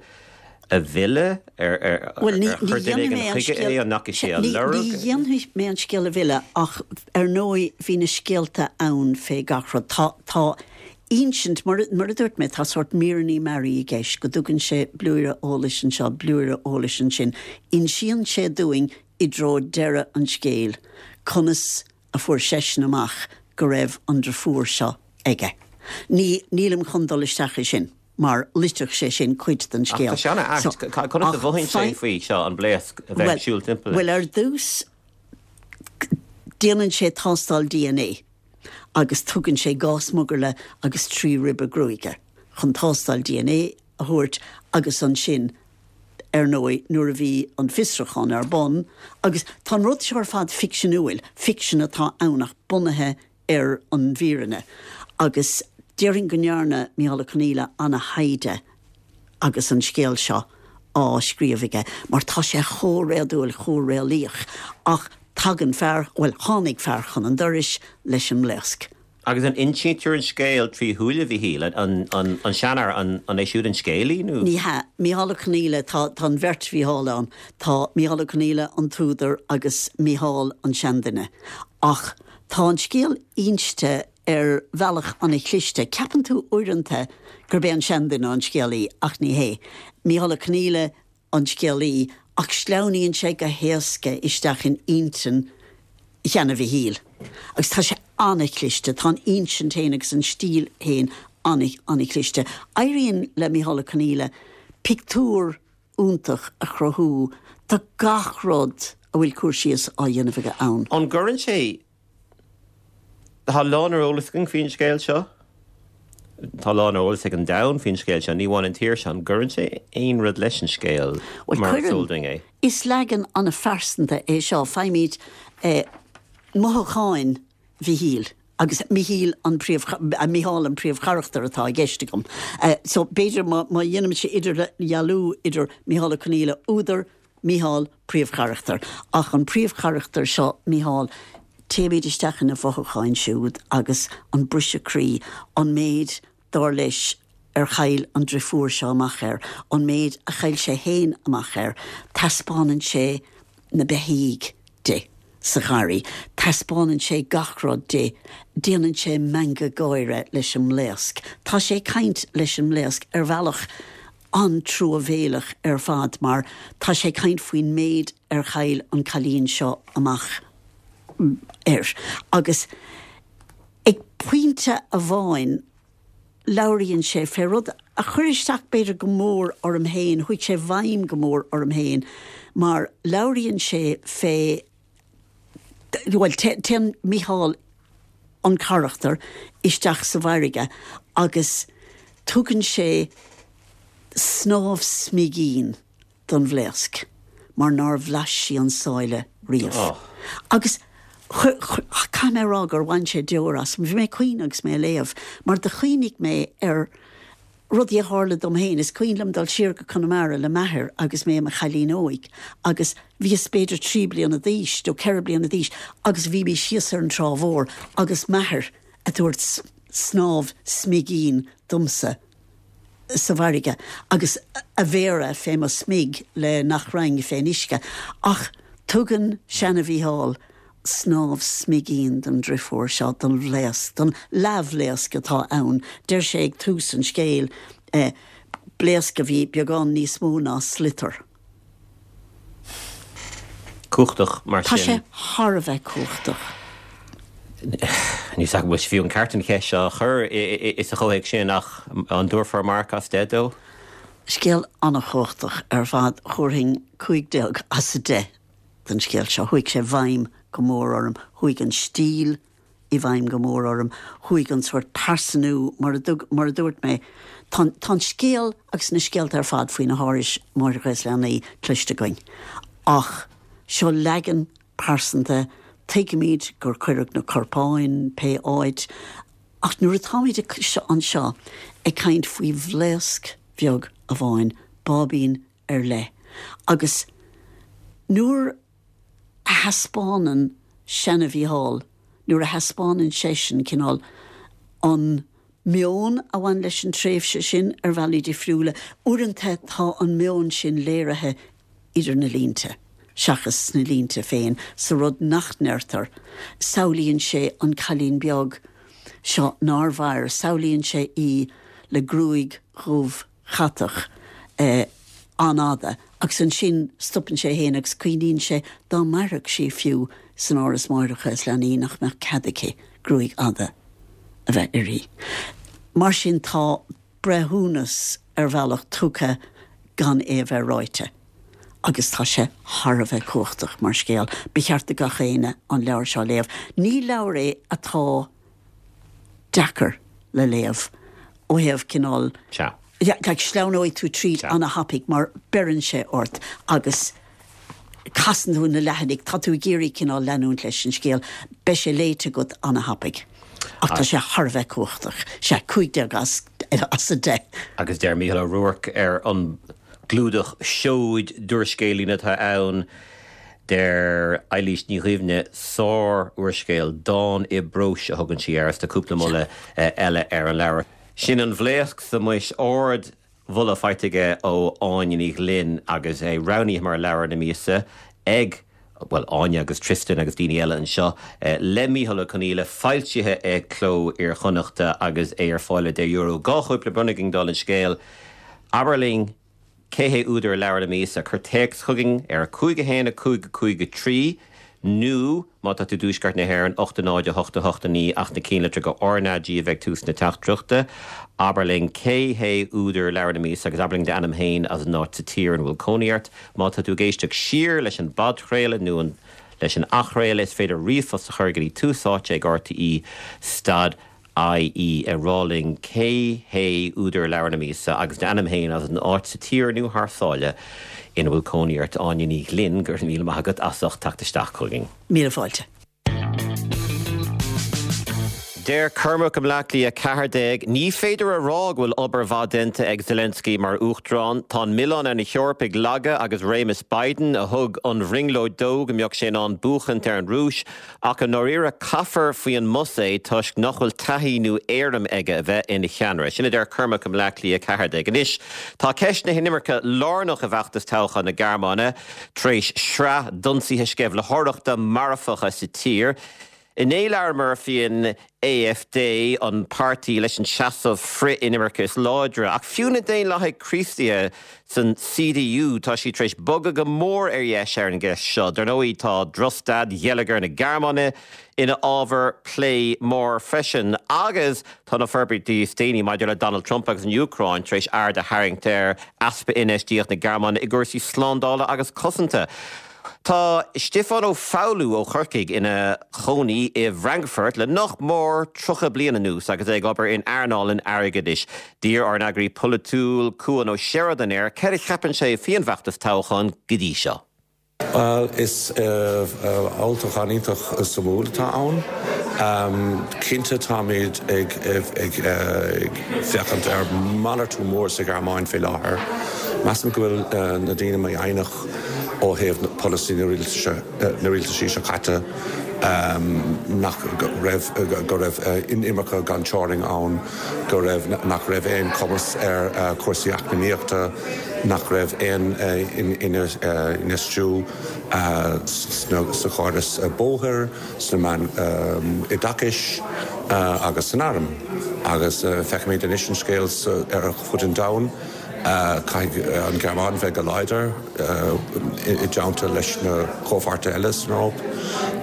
a mhilleadh? Ar Bhuel, ní, chuir ní duine dhéanfaidh éigin mé an chuige scéal, é, an ndeachaigh sé á ní, lorg? ní dhéanfaidh mé an scéal a mhilleadh ach ar ndóigh bhí na scéalta ann fé gach rud. Tá, tá insint, mar, mar a dúirt mé, tá sórt míreanna mearaí i gceist, go dtugann sé blúire eolais anseo, blúire eolais ansin. Insíonn sé dúinn i dtreo deireadh an scéil conas a fuair seisean amach go raibh an driofúr seo aige. Ní, nílim chun dul isteach i sin. mar loitfeadh sé sin cuid den Ach scéal. tá sé an-ait. Conas a mhothaíonn sé faoi seo, an bhlaosc, a bheith ag siúl timpeall leis? Bhuel, ar dtús, déanann sé tástáil dna agus tugann sé 2 smugairle agus 3 ribe gruaige chun tástáil dna a thabhairt agus ansin, ar ndóigh, nuair a bhí an fiosrúchán ar bun, agus tá an rud seo ar fad ficseanúil, ficsean atá ann ach bunaithe ar an bhfírinne agus déarfainn go ndearna Micheál Ó Conghaile ana-thaighde agus an scéal seo á scríobh aige mar tá sé chomh réadúil, chomh réalaíoch ach tagann fear, bhuel tháinig fear chun an dorais leis an mblaosc. Agus an insítear an scéal trí shúile Mhichíl, an seanfhear, an é siúd an scéalaí nó? Ní hea. Micheál Ó Conghaile, tá an bheirt Mhicheál ann. Tá Micheál Ó Conghaile an t-údar agus Micheál an seanduine. Ach Tá an scéal inste ar bhealach ana-chliste. Ceapann tú uaireanta gurb é an seanduine an scéalaí, ach ní hé. Micheál Ó Conghaile an scéalaí, ach sleamhnaíonn sé go héasca isteach in intinn sheana-Mhichíl. Agus tá sé ana-chliste, tá an insint féin agus an stíl féin ana-chliste. Éiríonn le Micheál Ó Conghaile pictiúr iontach a chruthú do gach rud a bhfuil cur síos á dhéanamh aige ann. An gcuireann sé. Tá a lán ar eolas againn faoin scéal seo. Tá a lán ar eolas ag an domhan faoin scéal seo, ní amháin an tír seo. An gcuireann sé aon rud leis an scéal mar is eol dúinn é? Is leagan an-phearsanta é seo. Faighimid mothúcháin Mhichíl, agus Michíl an príomh, Micheál an príomhcharachtar atá i gceist agam. So, b'fhéidir má, má dhéanaimse idirdhealú idir Micheál Ó Conghaile, údar, Micheál, príomhcharachtar. Ach an príomhcharachtar seo, Micheál, téimid isteach ina mhothúcháin siúd agus an briseadh croí, an méid, dar leis, ar chaill an driofúr seo amach air, an méid a chaill sé féin amach air, taispeánann sé na beithígh di sa gharraí, taispeánann sé gach rud di, déanann sé meangadh gáire leis an mblaosc. Tá sé ag caint leis an mblaosc ar bhealach an-truamhéileach ar fad mar tá sé ag caint faoin méid ar chaill an cailín seo amach air. Agus ag pointe amháin, labhraíonn sé fé rud a chuir isteach b'fhéidir go mór orm féin, chuaigh sé i bhfeidhm go mór orm féin, mar labhraíonn sé fé, bhuel, téann Mícheál, an carachtar, isteach sa bhfarraige agus tugann sé snámh smigín don bhlaosc mar nár bhlais sí an sáile riamh. Agus caithfidh mé a rá gur bhain sé deor asam. Bhí mé ag caoineadh agus mé ag léamh mar do chuimhnigh mé ar. Rudaí a tharla dom féin, is cuimhin liom dul siar go Conamara le m'athair agus mé i mo chailín óig agus bhíos b'fhéidir 3 bliana d'aois nó 4 bliana d'aois agus bhí mé síos ar an trá mhór agus m'athair a' tabhairt snámh smigín domsa sa bhfarraige agus a mhéara fé mo smig le nach raghainn fén uisce. Ach tugann seana-Mhícheál snámh smigín don driofúr seo, don bhlaosc, don leathbhlaosc atá ann. Deir sé ag tús an scéil, blaosc a bhí beagán níos mó ná sliotar. Cumhachtach mar sin. Tá sé thar a bheith cumhachtach. Níl 's agam an bhfuil sé fiú an ceart an cheist seo a chur sa chomhthéacs sin ach an dtabharfá marc as 10 dó? Scéal an-chumhachtach ar fad. Thabharfainn 15 as 10 don scéal seo. Chuaigh sé i bhfeidhm go mór orm. Chuaigh an stíl i bhfeidhm go mór orm. Chuaigh an sórt pearsanú, mar a mar a dúirt mé, tá tá an scéal agus na scéalta ar fad faoi na hárais Máithreacha is Leanaí cloiste againn. Ach seo leagan pearsanta, tuigimid gur cuireadh na corpáin pé áit, ach nuair atáimid anseo ag caint faoi bhlaosc bheag amháin, báibín ar leith, agus nuair a thaispeánann seana-Mhícheál, nuair a thaispeánann seisean cineál an meon a bhain leis an tréimhse sin ar bhealaí difriúla, uaireanta tá an meon sin léirithe idir na línte seachas sna línte féin, sa rud nach ndeirtear. Samhlaíonn sé an cailín beag seo nár mhair, samhlaíonn sé í le gruaig dhubh chatach an-fhada agus ansin stopann sé féin agus cuimhníonn sé dá mairfeadh sí fiú san Áras Máithreacha is Leanaí nach mbeadh cead aici gruaig fhada a bheith uirthi. Mar sin tá breithiúnas ar bhealach tugtha gan é a bheith ráite agus tá sé thar a bheith cumhachtach mar scéal. Ba cheart do gach éinne an leabhar seo a léamh. Ní leabhar é atá deacair le léamh ó thaobh cineál. Sea. Like, sleamhnóidh tú tríd ana-thapaidh mar beireann sé ort agus casann tú na leathanaigh, tá tú ag iarraidh cineál leanúint leis an scéal, beidh sé léite agat ana-thapaidh. Ach tá sé thar a bheith cumhachtach. Sea, 15 as 10. Agus deir Mícheál Ó Ruairc ar an gclúdach, 'Seoid d'úrscéilín atá ann. Deir Eilís Ní Dhuibhne, Sár-úrscéal, dán i bpróis a thugann sí air is tá cúpla moladh eile ar an leabhar. Sin An Bhlaosc sa Mhuis, ard-mholadh faighte aige ó Áine Ní Ghlinn agus é roghnaithe mar leabhar na míosa ag, bhuel, Áine agus Tristan agus daoine eile anseo, le Mícheál Ó Conghaile, foilsithe ag Cló Iar-Chonnachta agus é ar fáil ar €10. Dhá chóip le bronnadh againn dála an scéil. Abair linn. Cé hé údar leabhar na míosa? Cuir téacs chugainn ar 5 1 5 5 3 nó, má tá tú i dTuaisceart na hÉireann, 8 0 8 8 9 ach na cinnlitreacha RnaG a bheith ag tús na teachtaireachta. Abair linn cé hé údar leabhar na míosa agus abair linn d'ainm féin agus an áit sa tír ina bhfuil cónaí ort. Má tá tú ag éisteacht siar leis an bpodchraoladh nó leis an athchraoladh, is féidir ríomhphost a chur go dtí Tús Áite ag RTÉ stad IE, ag rá linn cé hé údar leabhar na míosa agus d'ainm féin agus an áit sa tír nó thar sáile ina bhfuil cónaí ort. Áine Ní Ghlinn, go raibh míle maith agat as ucht teacht isteach chugainn. Míle fáilte. Deir Cormac i mBleá Cliath 14, Ní féidir a rá go bhfuil obair mhaith déanta ag Zelensky mar Uachtarán. Tá an milleán ar na hEorpaigh laga agus réimeas Biden, a thug an bhrionglóid dó go mbeadh sé in ann buachaint ar an Rúis, Ach i ndáiríre, caithfear faoi an mbus é toisc nach bhfuil taithí nó éirim aige a bheith ina cheannaire. Sin a deir Cormac i mBleá Cliath 14. Anois, tá ceist na hinimirce lárnach i bhfeachtas toghcháin na Gearmáine tar éis sraith d'ionsaithe sceimhlitheoireachta marfacha sa tír. Inné labhair Murphy an AfD, an páirtí leis an seasamh frith-inimirce is láidre. Ach fiú na Daonlathaigh Chríostaithe san CDU, tá siad tar éis bogadh go mór ar dheis ar an gceist seo. Dar ndóigh, tá drochstaid gheilleagar na Gearmáine ina ábhar plé mór freisin. Agus tá na forbairtí is déanaí maidir le Donald Trump agus an Úcráin tar éis aird a tharraingt ar easpa infheistíocht na Gearmáine i gcúrsaí slándála agus cosanta. Tá Stiofán Ó Foghlú ó Chorcaigh ina chónaí i bhFrankfurt le nach mór 30 bliain anuas agus é ag obair in earnáil an airgeadais. D'iarr ár n-eagraí polaitiúil Cuan Ó Seireadáin air céard a cheapann sé faoin bhfeachtas toghcháin go dtí seo. Bhuel, is olltoghchán iontach suimiúil atá ann. Cinnte táimid ag féachaint ar malartú mór sa Ghearmáin faoi láthair. Measaim go bhfuil na daoine mífhoighneach ó thaobh polasaí na rialtaisí seo caite, nach raibh, go raibh inimirce gan teorainn ann, go raibh, nach raibh aon chumas ar chúrsaí eacnamaíochta, nach raibh aon infheistiú sa chóras bóthair, sna meáin oideachais agus san arm. Agus feicimid anois an scéal ar fud an domhain, caithfidh an Ghearmáin bheith go láidir i dteannta leis na comhpháirtithe eile san Eoraip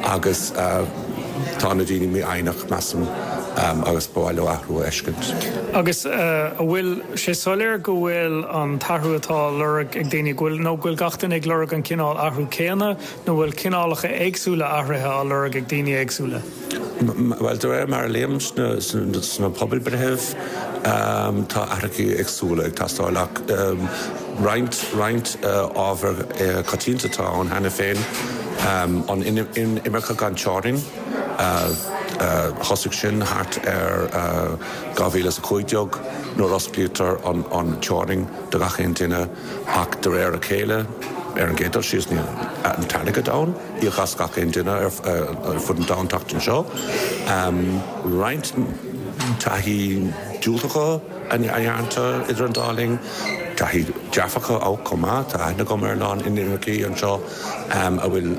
agus tá na daoine mífhoighneach, measaim, agus ba mhaith leo athrú a fheiscint. Agus an bhfuil sé soiléir go bhfuil an t-athrú atá á lorg ag daoine, go bhfuil, nó go bhfuil gach duine ag lorg an cineál athrú céanna, nó bhfuil cineálacha éagsúla athruithe á lorg ag daoine éagsúla? Bhuel, de réir mar a léim sna pobalbhreitheanna, tá athruithe éagsúla ag teastáil ach roinnt, roinnt ábhar coitianta atá ann cheana féin, an inimirce gan teorainn, thosaigh sin thart ar 2015 nuair osclaítear an teorainn do gach aon duine ach de réir a chéile, ar an gcéad dul síos, níl an t-airgead ann íoc as gach aon duine ar fud an domhain teacht anseo. Roinnt taithí diúltacha a dhéanta idir an dá linn, taithí dearfacha chomh maith. Tá aithne agam ar a lán inimircigh anseo a bhfuil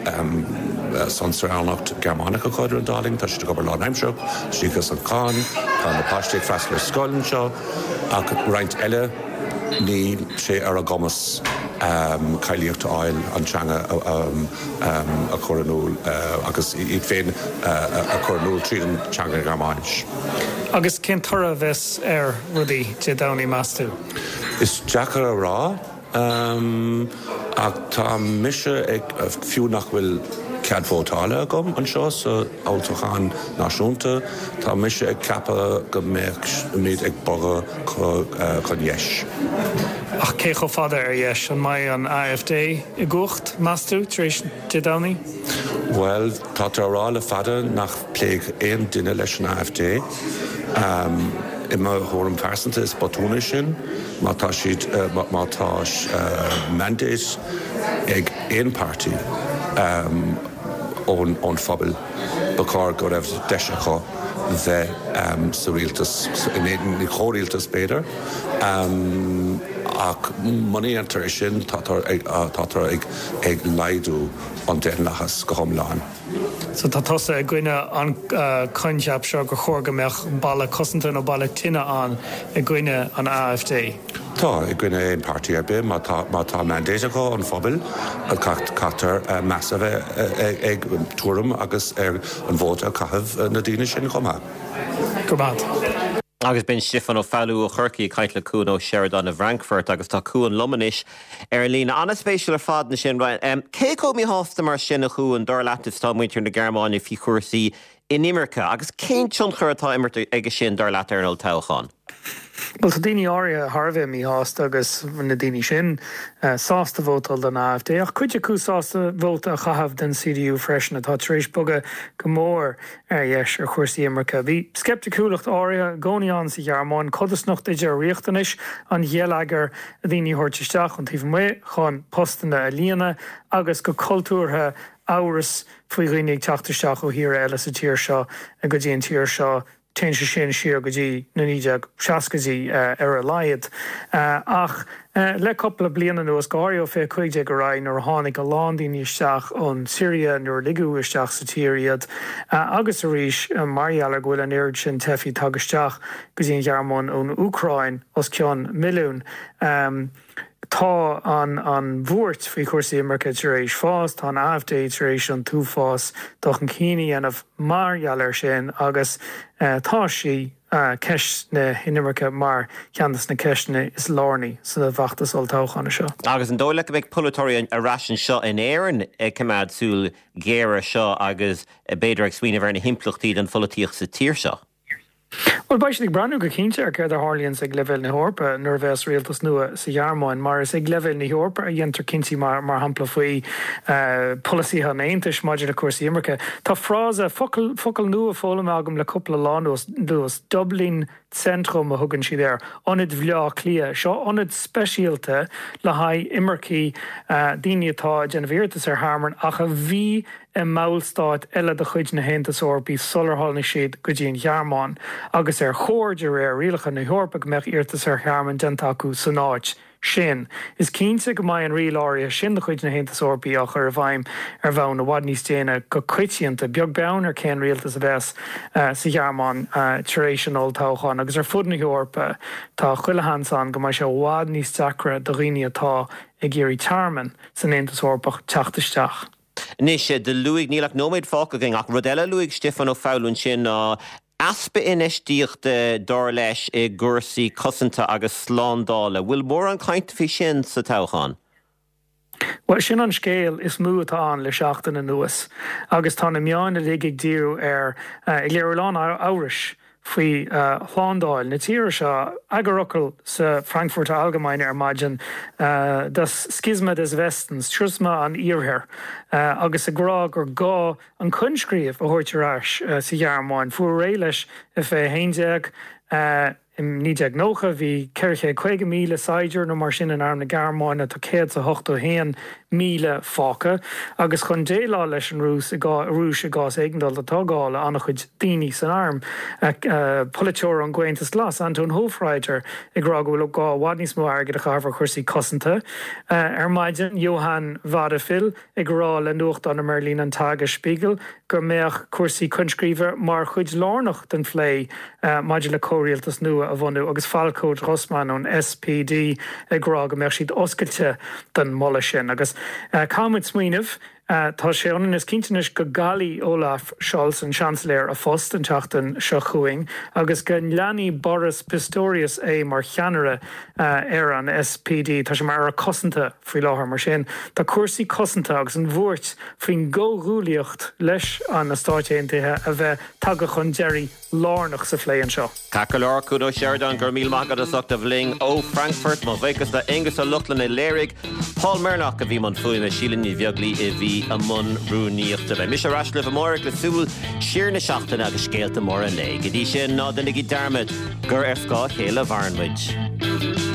saoránacht Ghearmánach acu idir an dá linn. Tá siad ag obair lánaimsearach, tá siad ag íoc as an cháin, tá na páistí ag freastal ar scoil anseo ach roinnt eile, níl sé ar a gcumas cáilíocht a fháil, an teanga a chur in iúl agus iad féin a chur in iúl tríd an teanga Ghearmáinis. Agus cén toradh a bheas ar rudaí Dé Domhnaigh, meas tú? Is deacair a rá. Ach tá mise ag, fiú nach bhfuil cead vótála agam anseo sa olltoghchán náisiúnta, tá mise ag ceapadh go mbeimid ag bogadh chun dheis. Ach cé chomh fada ar dheis? An mbeidh an AfD i gcumhacht, meas tú, tar éis Dé Domhnaigh? Bhuel, táthar á rá le fada nach bpléifidh aon duine leis an AfD. I mo thuairim phearsanta, is botún é sin. Má tá siad, má tá mandate ag aon páirtí ón phobal, ba chóir go raibh deis acu bheith sa rialtas, in chomhrialtas b'fhéidir, ach muna dhéantar é sin, táthar ag laghdú an daonlathas go hiomlán. So tá tusa i gcoinne an coincheap seo gur chóir go mbeadh balla cosanta nó balla tine ann i gcoinne an AfD? Tá, i gcoinne aon páirtí ar bith. Má tá, má tá mandate acu ón phobal, caithfear meas a bheith ag tuairim agus ar an vóta a chaitheamh na daoine sin chomh maith. Go raibh maith. Agus b'in Stiofán Ó Foghlú ó Chorcaigh ag caint le Cuan Ó Seireadáin i bhFrankfurt agus tá Cuan liom anois ar an líne. An-spéisiúil ar fad ansin. Cé chomh míshásta mar sin a Chuain, dar leat, is atá muintir na Gearmáine faoi chúrsaí inimirce agus cén tionchar atá imirt aige sin, dar leat, ar an olltoghchán? Bhuel, tá daoine áirithe thar a bheith míshásta agus na daoine sin sásta vótáil don AfD ach cuid acu sásta vóta a chaitheamh don CDU freisin atá tar éis bogadh go mór ar dheis ar chúrsaí imirce. Bhí sceipticiúlacht áirithe i gcónaí ann sa Ghearmáin, codarsnacht idir riachtanais an gheilleagair daoine a thabhairt isteach ón taobh amuigh chun postanna a líonadh agus go cultúrtha amhras faoi dhaoine ag teacht isteach ó thíortha eile sa tír seo go dtí an tír seo. Téann sé sin siar go dtí na 1960idí ar a laghad. Ach le cúpla bliain anuas, go háirithe ó 2015 ar aghaidh, nuair a tháinig a lán daoine isteach ón tSiria, nuair a ligeadh isteach sa tír iad, agus arís mar gheall ar go bhfuil an oiread sin teifigh tagtha isteach go dtí an Ghearmáin ón Úcráin, os cionn milliún, tá an bhuairt faoi chúrsaí imirce tar éis fás, tá an AfD tar éis an t-uafás dul chun cinn a dhéanamh mar gheall air sin agus tá sí, ceist na hinimirce mar cheann de na ceisteanna is lárnaí sa bhfeachtas olltoghcháin seo. Agus an dóigh leat go mbeidh polaiteoirí ar ais anseo in Éirinn ag coimeád súil ghéar air seo agus b'fhéidir ag smaoineamh ar na himpleachtaí don pholaitíocht sa tír seo? Bhuel, beidh siad ag breathnú go cinnte ar céard a tharlaíonns ag leibhéal na hEorpa nuair a bheas rialtas nua sa Ghearmáin, mar is ag leibhéal na hEorpa a dhéantar cinntí mar shampla faoi pholasaithe an Aontais maidir le cúrsaí imirce. Tá frása, focal, focal nua foghlamtha agam le cúpla lá anuas, Dublin Zentrum a thugann siad air, Ionad Bhaile Átha Cliath. Seo ionad speisialta le haghaidh imircigh, daoine atá ag déanamh iarratas ar thearmann ach a bhí i mballstát eile de chuid na hAontais Eorpaí sular tháinig siad go dtí an Ghearmáin, agus ar chóir, de réir rialacha na hEorpa, go mbeadh iarratas ar thearmann déanta acu san áit sin. Is cinnte go mbeidh an riail áirithe sin de chuid na hAontais Eorpaí á chur i bhfeidhm ar bhonn i bhfad níos déine go coitianta, beag beann ar cén rialtas a bheas sa Ghearmáin tar éis an olltoghcháin. Agus ar fud na hEorpa, tá chuile sheans ann go mbeidh sé i bhfad níos deacra do dhaoine atá ag iarraidh tearmann san Aontas Eorpach teacht isteach. Anois, do luaigh, níl ach nóiméad fágtha againn, ach rud eile a luaigh Stiofán Ó Foghlú ansin ná easpa infheistíochta, dar leis, i gcúrsaí cosanta agus slándála. Bhfuil mórán cainte faoi sin sa toghchán? Bhuel, sin an scéal is mó atá ann le seachtain anuas agus tá na meáin uilig ag díriú air, ag léiriú a lán amhrais faoi shlándáil na tíre seo. Eagarfhocal sa Frankfurter Allgemeine ar maidin, Das Schisma des Westens, Siosma an Iarthair, agus ag rá gur gá an coinscríobh a thabhairt ar ais sa Ghearmáin. Fuaradh réidh leis i 2011. I 1990 bhí 450,000 saighdiúir nó mar sin in arm na Gearmáine, tá 181,000 fágtha, agus chun déileáil leis an Rúis i Rúis i gcás éigeandála tá gá le an-chuid daoine san arm. Polaiteoir ón gComhaontas Glas, Anton Hofreiter, ag rá go bhfuil gá i bhfad níos mó airgid a chaitheamh ar chúrsaí cosanta. Ar maidin, Johann Wadephul ag rá le nuachtán i mBeirlín, an Tagesspiegel, go mbeadh cúrsaí coinscríbe mar chuid lárnach den phlé maidir le comhrialtas nua a bhunú agus Falko Grossmann ón SPD ag rá go mbeadh siad oscailte don mholadh sin. Agus caithfimid smaoineamh, tá sé ionann is cinnte anois go gcaillfidh Olaf Scholz, an Seansailéir, a phost an tseachtain seo chugainn agus go leanfaidh Boris Pistorius é mar cheannaire ar an SPD. Tá sé mar Aire Cosanta faoi láthair. Mar sin, tá cúrsaí cosanta agus an bhuairt faoin gcomhghuaillíocht leis na Stáit Aontaithe a bheith tagtha chun deiridh lárnach sa phlé anseo. Ceart go leor, Cuan Ó Seireadáin, go raibh míle maith agat as ucht a bheith linn ó Frankfurt. Mo bhuíochas le Aonghus Ó Lochlainn a léirigh, Paul Mernagh a bhí i mbun fuaime, Síle Ní Bheaglaoí a bhí i mbun rúnaíochta. Beidh mise ar ais libh amárach le súil siar na seachtaine agus scéalta móra an lae. Go dtí sin, ná déanaigí dearmad gur ar scáth a chéile a mhaireann muid.